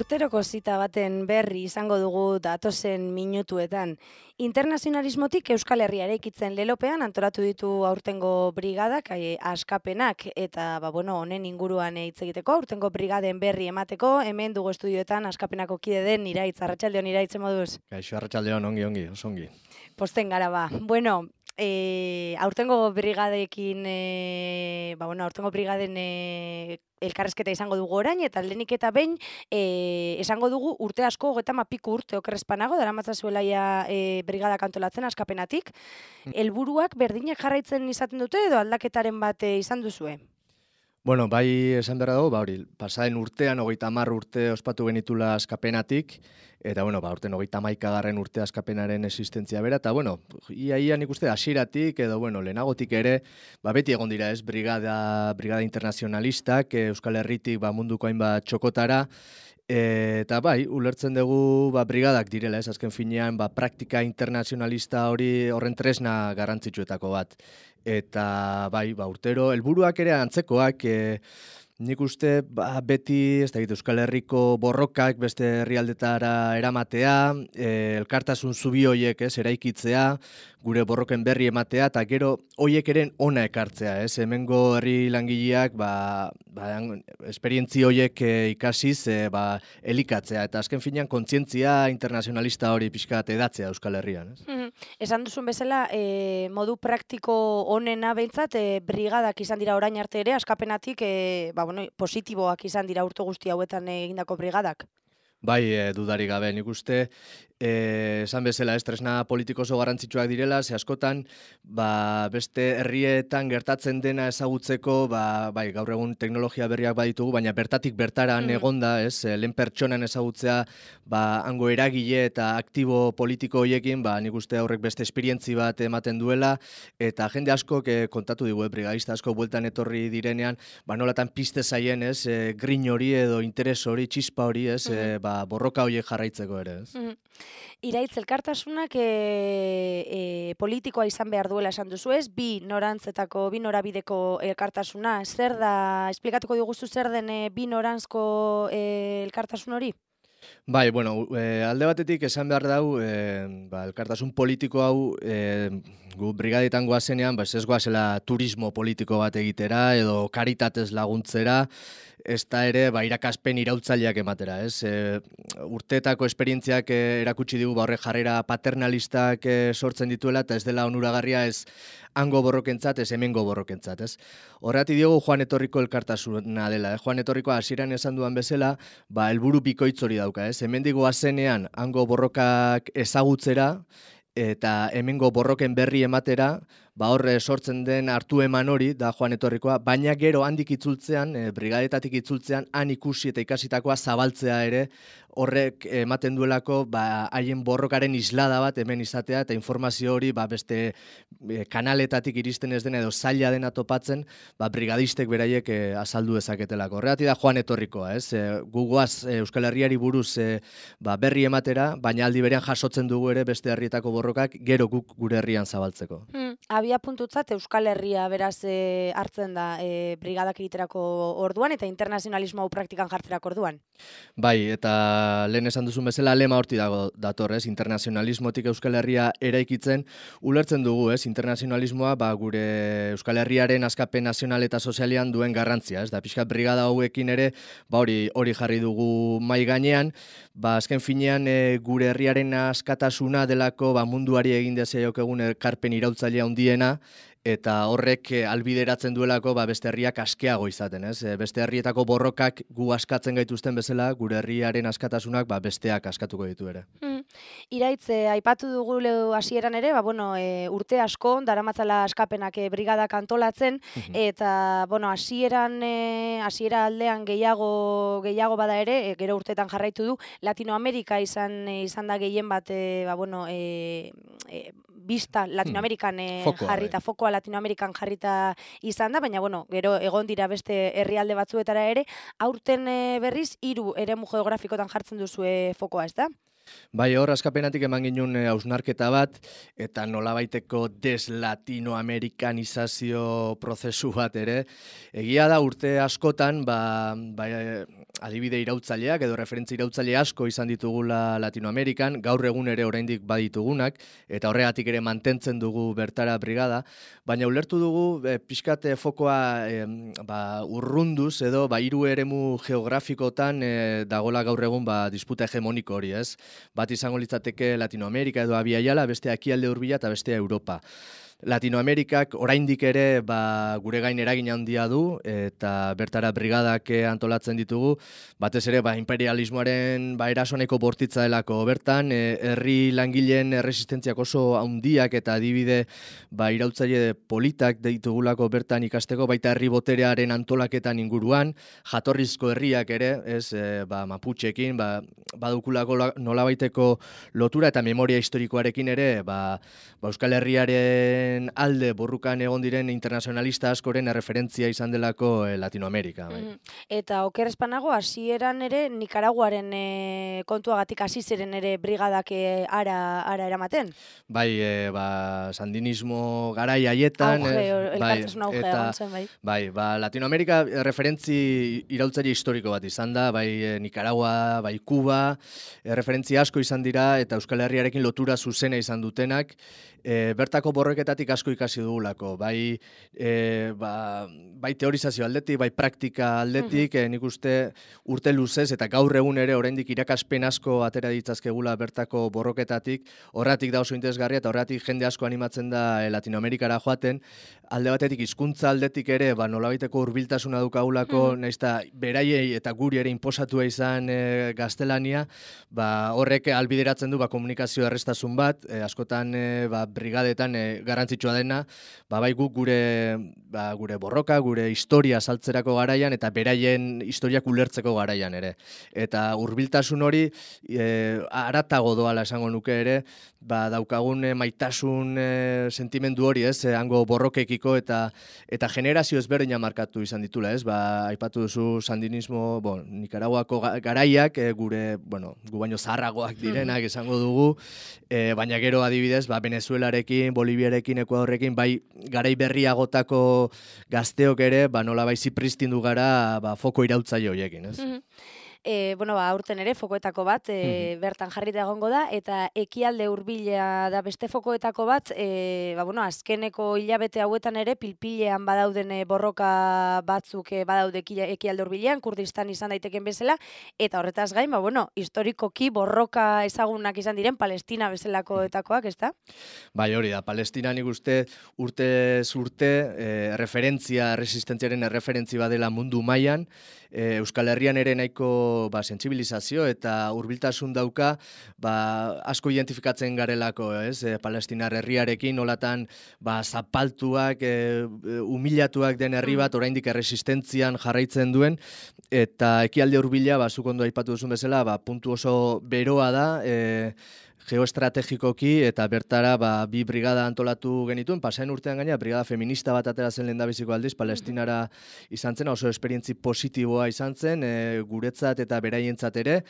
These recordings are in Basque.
Urteroko zita baten berri izango dugu datozen minutuetan. Internazionalismotik Euskal Herria eraikitzen lelopean antolatu ditu aurtengo brigadak, askapenak, eta honen inguruan hitz egiteko, aurtengo brigaden berri emateko, hemen dugu estudioetan askapenako kide den Iraitz, arratsaldeon Iraitz, moduz? Kaixo, arratsaldeon, ongi, oso ongi. Posten gara ba. Bueno, aurtengo brigadekin, aurtengo brigaden elkarrezketa izango dugu orain, eta lehenik eta behin esango dugu urte asko, 30 piku urte okerrezpanago, daramatzazuela brigadak antolatzen askapenatik. Helburuak berdinak jarraitzen izaten dute edo aldaketaren bat izan duzue? Bueno, bai esan behar dago, pasaden urtean 30 urte ospatu genitula askapenatik, eta aurten 31. urte askapenaren existentzia bera, eta ia nik uste hasieratik edo lehenagotik ere, beti egon dira ez, brigada internazionalistak, Euskal Herritik munduko hainbat txokotara, eta ulertzen dugu brigadak direla ez, azken finean praktika internazionalista horren tresna garrantzitsuetako bat. Eta urtero, helburuak ere antzekoak, nik uste beti Euskal Herriko borrokak beste herrialdetara eramatea, elkartasun zubi hoiek eraikitzea, gure borroken berri ematea, eta gero hoiek eren ona ekartzea, hemengo herri langileak esperientzi hoiek ikasiz elikatzea, eta azken finean kontzientzia internazionalista hori pixkat edatzea Euskal Herrian. Esan duzun bezala, modu praktiko honena behintzat, brigadak izan dira orain arte ere, askapenatik positiboak izan dira urte guzti hauetan egindako brigadak. Bai, dudarik gabe, nik uste, esan bezala, tresna politiko oso garrantzitsuak direla, ze askotan, beste herrietan gertatzen dena ezagutzeko, gaur egun teknologia berriak baditugu, baina bertatik bertaran egonda, lehen pertsonan ezagutzea, hango eragile eta aktibo politiko horiekin, nik uste horrek beste esperientzi bat ematen duela, eta jende asko kontatu digu, brigadista asko bueltan etorri direnean, nolatan piste zaien, grin hori edo interes hori, txispa hori, borroka horiek jarraitzeko ere. Iraitz, elkartasunak politikoa izan behar duela esan duzu ez, bi norabideko elkartasuna. Zer da, esplikatuko diguzu zer den bi norantzko elkartasun hori? Bai, alde batetik esan behar dau, elkartasun politiko hau, gu brigadetan goazenean, ez goazela turismo politiko bat egitera, edo karitatez laguntzera, ez da ere, irakaspen irautzaileak ematera, urteetako esperientziak erakutsi digu, horrek jarrera paternalistak sortzen dituela, eta ez dela onuragarria ez hango borrokentzat, ez hemengo borrokentzat, ez? Horregatik diogu Joan Etorriko elkartasuna dela, Joan Etorriko hasieran esan duan bezala, helburu bikoitz hori dauka, hemendik goazenean hango borrokak ezagutzera, eta hemengo borroken berri ematera, horre sortzen den hartu eman hori, da Joan Etorrikoa, baina gero handik itzultzean, brigadetatik itzultzean, han ikusi eta ikasitakoa zabaltzea ere, horrek ematen duelako haien borrokaren islada bat hemen izatea, eta informazio hori beste kanaletatik iristen ez dena edo zaila dena topatzen, brigadistek beraiek azaldu ezaketelako. Horregatik da Joan Etorrikoa, gugoaz Euskal Herriari buruz berri ematera, baina aldi berean jasotzen dugu ere beste herrietako borrokak gero guk gure herrian zabaltzeko. Abia puntutzat Euskal Herria beraz hartzen da brigadak egiterako orduan eta internazionalismo hau praktikan jartzerako orduan. Bai, eta lehen esan duzun bezala lema horti dator, internazionalismotik Euskal Herria eraikitzen, ulertzen dugu, internazionalismoa gure Euskal Herriaren askapen nazional eta sozialean duen garrantzia, da pixkat brigada hauekin ere, hori jarri dugu mai gainean, azken finean gure herriaren askatasuna delako munduari egin dezaiok egun ekarpen irautzailea handiena, eta horrek albideratzen duelako beste herriak askeago izaten, Beste herrietako borrokak gu askatzen gaituzten bezala, gure herriaren askatasunak besteak askatuko ditu ere. Iraitz, aipatu dugu hasieran ere, urte asko, daramatzala askapenak brigadak antolatzen, eta hasiera aldean gehiago bada ere, gero urteetan jarraitu du, Latinoamerika izan da gehien bat, bista Latinoamerikan jarrita, fokoa Latinoamerikan jarrita izan da, baina gero egon dira beste herrialde batzuetara ere, aurten berriz 3 eremu geografikotan jartzen duzue fokoa, ez da? Bai, hor askapenatik eman ginen hausnarketa bat, eta nolabaiteko deslatinoamerikanizazio prozesu bat ere. Egia da urte askotan, adibide irautzaileak edo referentzia irautzaile asko izan ditugula Latinoamerikan, gaur egun ere oraindik baditugunak, eta horregatik ere mantentzen dugu bertara brigada, baina ulertu dugu pixkat fokoa urrunduz edo hiru eremu geografikotan dagola gaur egun disputa hegemoniko hori, ez? Bat izango litzateke Latinoamerika edo Abiaiala, beste ekialde hurbila eta bestea Europa. Latinoamerikak oraindik ere gure gain eragin handia du eta bertara brigadak antolatzen ditugu, batez ere imperialismoaren erasoneko bortitza delako bertan, herri langileen erresistentziak oso handiak eta adibide irautzaile politak ditugulako bertan ikasteko, baita herri boterearen antolaketan inguruan, jatorrizko herriak ere, ez, Maputxekin, badukulako nolabaiteko lotura eta memoria historikoarekin ere, Euskal Herriaren alde borrukan egon diren internazionalista askoren referentzia izan delako Latinoamerika. Eta oker espanago, hasieran ere Nikaraguaren kontuagatik hasi ziren ere brigadak ara eramaten? Bai, sandinismo garai haietan. Elkartasun augea egon zen, bai. Latinoamerika referentzi iraultzaile historiko bat izan da, Nicaragua, Kuba, referentzia asko izan dira eta Euskal Herriarekin lotura zuzena izan dutenak, bertako borroketatik asko ikasi dugulako, bai teorizazio aldetik, bai praktika aldetik, nik uste urte luzez eta gaur egun ere oraindik irakaspen asko atera ditzazkegula bertako borroketatik, horretik da oso interesgarria eta horretik jende asko animatzen da Latinoamerikara joaten, alde batetik hizkuntza aldetik ere nolabaiteko hurbiltasuna dukagulako, nahiz eta beraiei eta guri ere inposatua izan gaztelania, horrek albideratzen du komunikazio errestasun bat, askotan brigadetan garrantzitsua dena, bai guk gure borroka, gure historia saltzerako garaian eta beraien historiak ulertzeko garaian ere. Eta hurbiltasun hori haratago doala esango nuke ere, daukagun maitasun sentimendu hori, ez, hango borrokekiko eta generazio ezberdina markatu izan ditula, ez, aipatu duzu sandinismo, Nikaraguako garaiak, gu baino zaharragoak direnak esango dugu, baina gero adibidez, Venezuelarekin, Boliviarekin, Ekuadorrekin, garai berriagotako gazteok ere, nola zipristindu gara foko irautzaile horiekin, ez? Aurten ere fokoetako bat bertan jarrita egongo da, eta ekialde hurbila da beste fokoetako bat, azkeneko hilabete hauetan ere pilpilean badauden borroka batzuk badaude ekialde hurbilean, Kurdistan izan daiteken bezala, eta horretaz gain, historikoki borroka ezagunak izan diren Palestina bezalakoetakoak, ezta? Bai, hori da, Palestina nik uste urtez urte resistentziaren erreferentzi badela mundu mailan, Euskal Herrian ere nahiko sentsibilizazio eta hurbiltasun dauka, asko identifikatzen garelako, ez? Palestinar herriarekin nolatan zapaltuak, humilatuak den herri bat oraindik erresistentzian jarraitzen duen, eta ekialde hurbila, zuk ondo aipatu duzun bezala, puntu oso beroa da, geoestrategikoki, eta bertara bi brigada antolatu genituen, pasaen urtean gaina, brigada feminista bat atera zen lehendabiziko aldiz, Palestinara izan zen, oso esperientzi positiboa izan zen, guretzat eta beraientzat ere,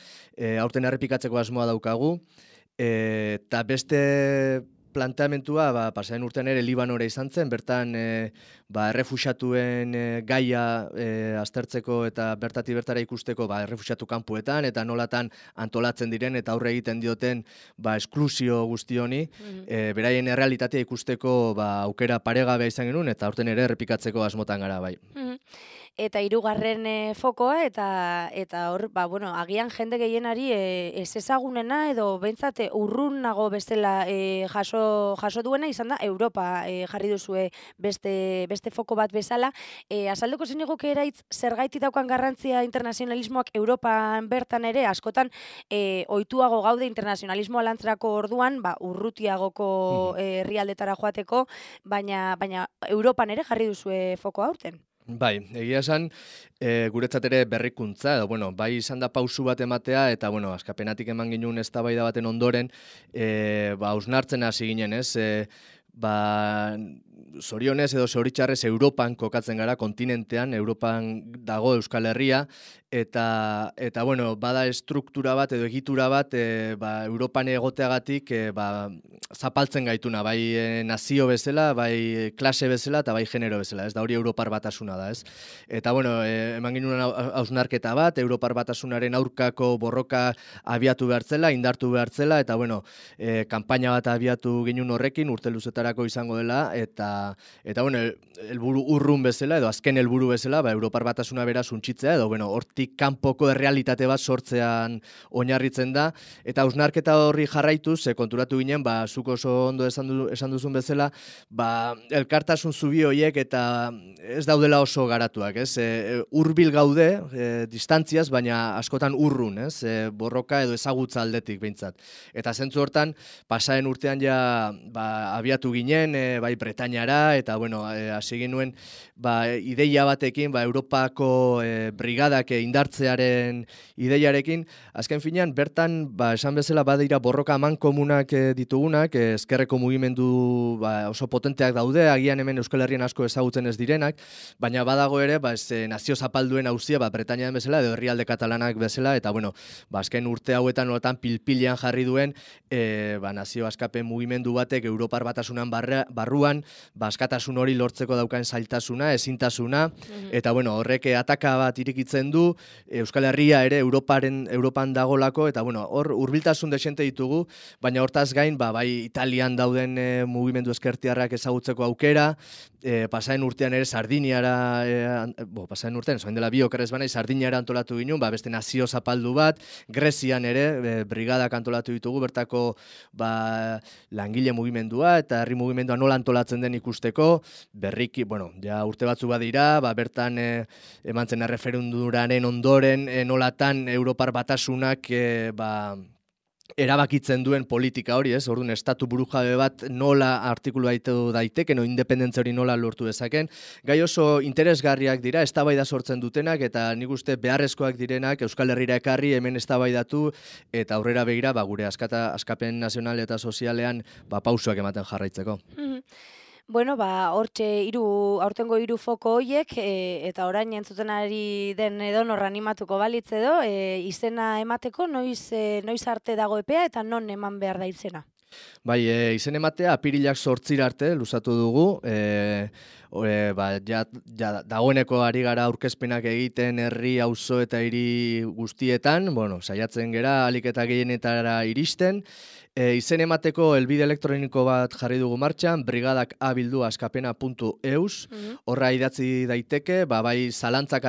aurten errepikatzeko asmoa daukagu, eta beste planteamentua, pasaen urtean ere Libanora izan zen, bertan errefuxatuen gaia aztertzeko eta bertara ikusteko errefuxatu kanpuetan, eta nolatan antolatzen diren eta aurre egiten dioten esklusio guzti honi, beraien errealitatea ikusteko aukera paregabea izan genuen, eta aurten ere errepikatzeko asmotan gara bai. Eta hirugarren fokoa, eta hor, agian jende gehienari ez ezagunena edo behintzat urrunago bezala jaso duena izan da Europa jarri duzue beste foko bat bezala. Azalduko zeniguke eraitz zergaiti daukan garrantzia internazionalismoak Europan bertan ere, askotan ohituago gaude internazionalismoa lantzerako orduan, urrutiagoko herrialdetara joateko, baina Europan ere jarri duzue foko aurten. Bai, egia esan, guretzat ere berrikuntza, edo, bai izan da pausu bat ematea, eta, askapenatik eman ginen eztabaida baten ondoren, hausnartzen hasi ginen, ez? zorionez edo zoritxarrez Europan kokatzen gara, kontinentean, Europan dago Euskal Herria, eta bueno, bada estruktura bat edo egitura bat Europan egoteagatik zapaltzen gaituna, bai nazio bezala, bai klase bezala eta bai genero bezala, ez da hori Europar Batasuna da, ez? Eta bueno, eman ginuen hausnarketa bat, Europar Batasunaren aurkako borroka abiatu behartzela, indartu behartzela, eta bueno, kanpaina bat abiatu ginen horrekin, urte luzetarako izango dela, eta bueno, helburu urrun bezala, edo azken helburu bezala, Europar Batasuna bera suntxitzea, edo bueno, hortik kanpoko errealitate bat sortzean oinarritzen da, eta hausnarketa horri jarraituz, konturatu ginen, zuk oso ondo esan duzun bezala, elkartasun zubi horiek eta ez daudela oso garatuak, ez? Hurbil gaude, distantziaz, baina askotan urrun, ez? Borroka edo ezagutza aldetik behintzat. Eta zentzu hortan, pasaren urtean ja abiatu ginen, bai Bretañara, eta bueno, hasi ginuen ideia batekin, Europako brigadak indartzearen ideiarekin, azken finean, bertan, esan bezala, badira borroka amankomunak ditugunak, ezkerreko mugimendu oso potenteak daude, agian hemen Euskal Herrian asko ezagutzen ez direnak, baina badago ere, nazio zapalduen auzia, Bretañan bezala, edo herrialde katalanak bezala, eta bueno, azken urte hauetan nolatan pilpilean jarri duen, nazio askapen mugimendu batek Europar Batasunan barruan, askatasun hori lortzeko daukan zailtasuna, ezintasuna, eta bueno, horrek ataka bat irikitzen du, Euskal Herria ere Europan dagolako, eta bueno, hor hurbiltasun desente ditugu, baina hortaz gain, bai Italian dauden mugimendu ezkertiarrak ezagutzeko aukera, pasaren urtean ere Sardiniara, pasaren urtean, zoin dela bi okerrez banai, Sardiniara antolatu ginen, beste nazio zapaldu bat, Grezian ere, brigadak antolatu ditugu, bertako langile mugimendua, eta herri mugimendua nola antolatzen den ikusteko, berriki, bueno, ja urte batzu badira, bertan eman zen erreferendumaren ondoren, nolatan Europar Batasunak, erabakitzen duen politika hori, ez? Orduan, estatu burujabe bat nola artikulu daiteke, independentzia hori nola lortu dezaken. Gai oso interesgarriak dira, eztabaida sortzen dutenak, eta nik uste beharrezkoak direnak Euskal Herrira ekarri, hemen eztabaidatu, eta aurrera begira, gure askapen nazional eta sozialean pausoak ematen jarraitzeko. Bueno, hortxe aurtengo hiru foko horiek, eta orain entzuten ari den edonor animatuko balitz edo, izena emateko noiz arte dago epea eta non eman behar da izena? Bai, izen ematea apirilak 8 arte luzatu dugu, dagoeneko ari gara aurkezpenak egiten herri, auzo eta hiri guztietan, bueno, saiatzen gera ahalik eta gehienetara iristen. Izen emateko helbide elektroniko bat jarri dugu martxan, brigadak@askapena.eus, horra idatzi daiteke, bai zalantzak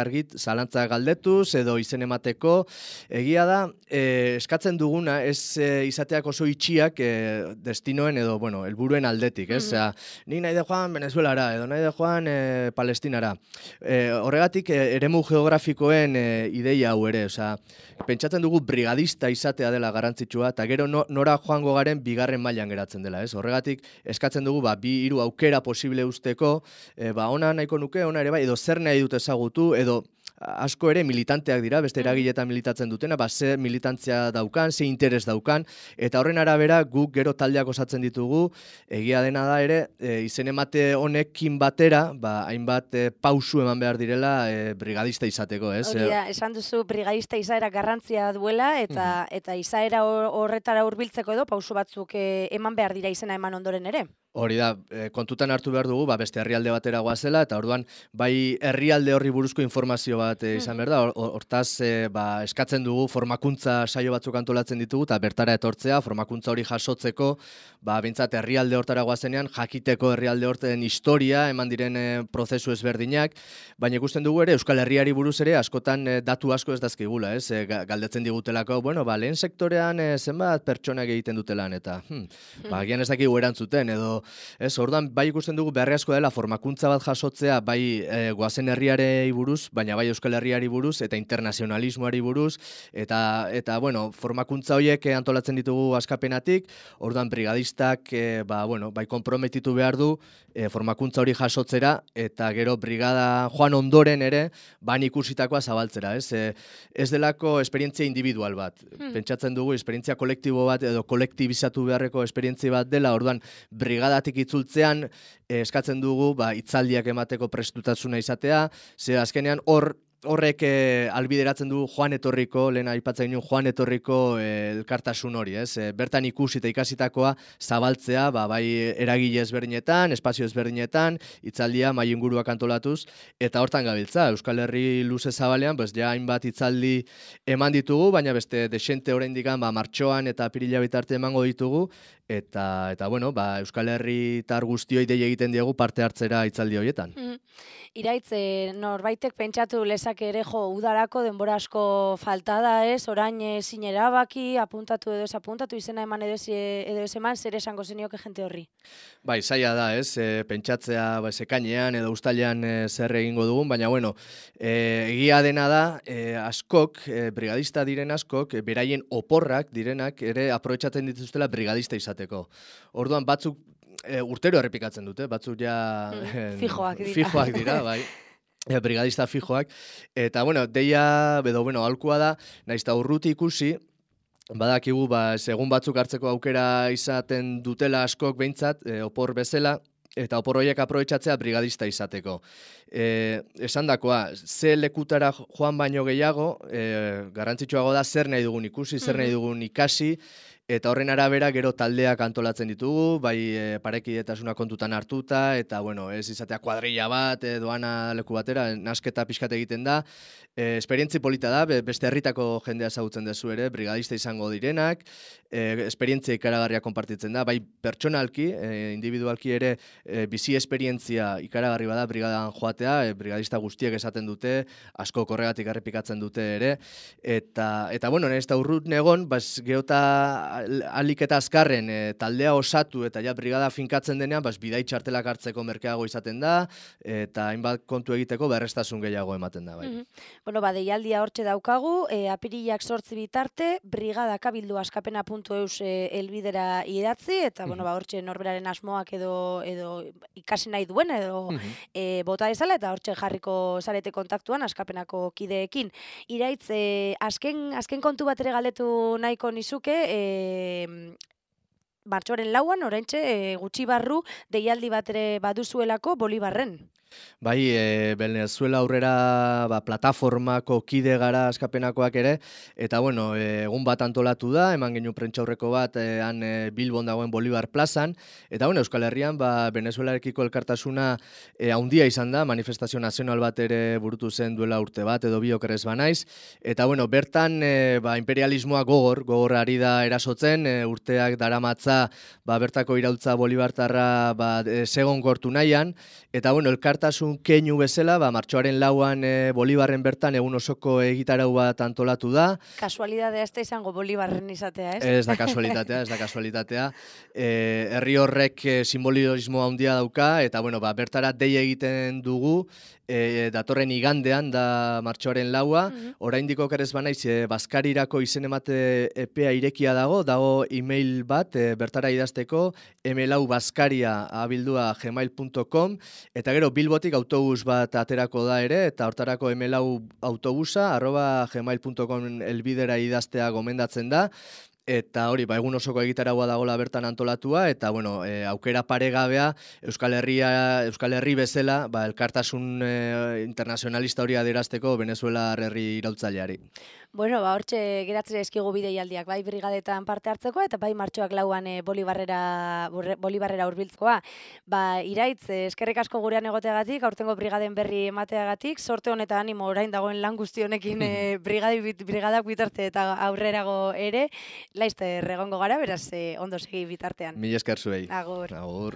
galdetuz, edo izen emateko. Egia da, eskatzen duguna, ez izateak oso itxiak destinoen edo, helburuen aldetik, ez? Ni nahi de joan Venezuelara, edo nahi de joan Palestinara. Horregatik, eremu geografikoen ideia hau ere, pentsatzen dugu brigadista izatea dela garrantzitsua, eta gero nora joango garen bigarren mailan geratzen dela, ez? Horregatik eskatzen dugu 2-3 aukera posible usteko, ona nahiko nuke, ona ere bai, edo zer nahi dut ezagutu, edo asko ere militanteak dira, beste eragiletan militatzen dutena, ze militantzia daukan, ze interes daukan, eta horren arabera guk gero taldeak osatzen ditugu, egia dena da ere, izen emate honekin batera, hainbat pausu eman behar direla brigadista izateko, ez? Hori da, esan duzu brigadista izaera garrantzia duela, eta izaera horretara hurbiltzeko edo pausu batzuk eman behar dira izena eman ondoren ere. Hori da, kontutan hartu behar dugu, beste herrialde batera goazela, eta orduan, bai herrialde horri buruzko informazio bat izan behar da, hortaz eskatzen dugu formakuntza saio batzuk antolatzen ditugu, eta bertara etortzea, formakuntza hori jasotzeko, bintzat herrialde hortara goazenean, jakiteko herrialde horten historia, eman diren prozesu ezberdinak, baina ikusten dugu ere, Euskal Herriari buruz ere, askotan datu asko ez dazkigula, ez? Galdetzen digutelako, lehen sektorean zenbat pertsonak egiten dutelan, eta agian ez dakigu erantzuten, edo orduan, bai ikusten dugu beharrezko dela formakuntza bat jasotzea, bai goazen herriari buruz, baina bai Euskal Herriari buruz, eta internazionalismoari buruz, eta formakuntza horiek antolatzen ditugu askapenatik, orduan brigadistak, bai konprometitu behar du, formakuntza hori jasotzera, eta gero brigada joan ondoren ere, ikusitakoa zabaltzera, ez delako esperientzia individual bat. Pentsatzen dugu, esperientzia kolektibo bat, edo kolektibizatu beharreko esperientzia bat dela, orduan, brigada brigadatik itzultzean eskatzen dugu hitzaldiak emateko prestutasuna izatea, ze azkenean horrek albideratzen du joan etorriko, lehen aipatzen genuen joan etorriko elkartasun hori, ez? Bertan ikusi eta ikasitakoa zabaltzea, bai eragile ezberdinetan, espazio ezberdinetan, hitzaldia mahai inguruak antolatuz, eta hortan gabiltza. Euskal Herri luze zabalean, ja hainbat hitzaldi eman ditugu, baina beste desente oraindik martxoan eta apirila bitarte emango ditugu, eta bueno, Euskal Herritar guztioi dei egiten diegu parte hartzera hitzaldi horietan. Iraitz, norbaitek pentsatu lezake ere udarako denbora asko falta da, ez? Orain ezin erabaki, apuntatu edo ez apuntatu, izena eman edo ez eman, zer esango zenioke jente horri? Bai, zaila da, ez? Pentsatzea ekainean edo uztailean zer egingo dugun, baina bueno, egia dena da, askok, brigadista diren askok, beraien oporrak direnak ere aprobetxatzen dituztela brigadista izateko. Orduan batzuk urtero errepikatzen dute, batzuk ja fijoak dira, bai. Brigadista fijoak. Eta, bueno, deia, aholkua da, nahiz eta urruti ikusi, badakigu, segun batzuk hartzeko aukera izaten dutela askok behintzat, opor bezala, eta opor horiek aprobetxatzea brigadista izateko. Esandakoa, ze lekutara joan baino gehiago, garrantzitsuago da zer nahi dugun ikusi, zer nahi dugun ikasi, eta horren arabera gero taldeak antolatzen ditugu, bai parekidetasuna kontutan hartuta, eta bueno, ez izatea kuadrilla bat, doana leku batera, nasketa pixkat egiten da. Esperientzi polita da, beste herritako jendea ezagutzen dezu ere, brigadista izango direnak, esperientzia ikaragarria konpartitzen da, bai pertsonalki, individualki ere bizi esperientzia ikaragarri bada brigadan joatea, brigadista guztiek esaten dute, asko korregatik errepikatzen dute ere, eta bueno, ez da urrut negon, geota alik eta azkarren taldea osatu eta ja brigada finkatzen denean, bidai txartelak hartzeko merkeago izaten da, eta hainbat kontu egiteko berreztasun gehiago ematen da, bai. Bueno, deialdia hortxe daukagu, apirilak 8 bitarte, brigadakabildu askapena.eus elbidera idatzi, eta hortxe norberaren asmoak edo ikasi nahi duen, edo bota ezala, eta hortxe jarriko zarete kontaktuan askapenako kideekin. Iraitz, azken kontu bat ere galdetu nahiko nizuke, martxoaren 4an, oraintxe gutxi barru, deialdi bat ere baduzuelako Bolibarren. Bai, Venezuela aurrera plataformako kide gara askapenakoak ere, eta bueno, egun bat antolatu da, eman genuen prentxaurreko bat han Bilbon dagoen Bolibar plazan, eta bueno, Euskal Herrian Venezuelarekiko elkartasuna haundia izan da, manifestazio nazional bat ere burutu zen duela urte bat, edo biokerez banaiz, eta bueno, bertan imperialismoa gogor ari da erasotzen, urteak daramatza bertako iraultza bolibartarra segon gortu nahian, eta bueno, elkartasun keinu bezala, martxoaren 4an Bolibarren bertan egun osoko egitarau bat antolatu da. Kasualidadea ez da izango Bolibarren izatea, ez? Ez da kasualitatea. Herri horrek simbolismo handia dauka, eta bueno, bertara dei egiten dugu, datorren igandean da martxoaren 4a, oraindik okerez banaiz Baskarirako izen emate epea irekia dago e-mail bat bertara idazteko, mlaubaskaria@gmail.com, eta gero Bilbotik autobus bat aterako da ere, eta hortarako mlauautobusa@gmail.com elbidera idaztea gomendatzen da. Eta hori, egun osoko egitaragua dagoela bertan antolatua, eta bueno, aukera paregabea Euskal Herri bezala, elkartasun internazionalista hori adierazteko Venezuela herri iraultzaileari. Bueno, hortxe geratzen eskigu bideialdiak, bai brigadetan parte hartzeko, eta bai martxoak 4an Bolibarrera hurbiltzkoa. Iraitz, eskerrik asko gurean egoteagatik, aurtengo brigaden berri emateagatik, sorte honetan animo orain dagoen lan guzti honekin brigadak bitarte eta aurrerago ere, laizte egongo gara, beraz ondo segi bitartean. Mila esker zuei. Agur. Agur.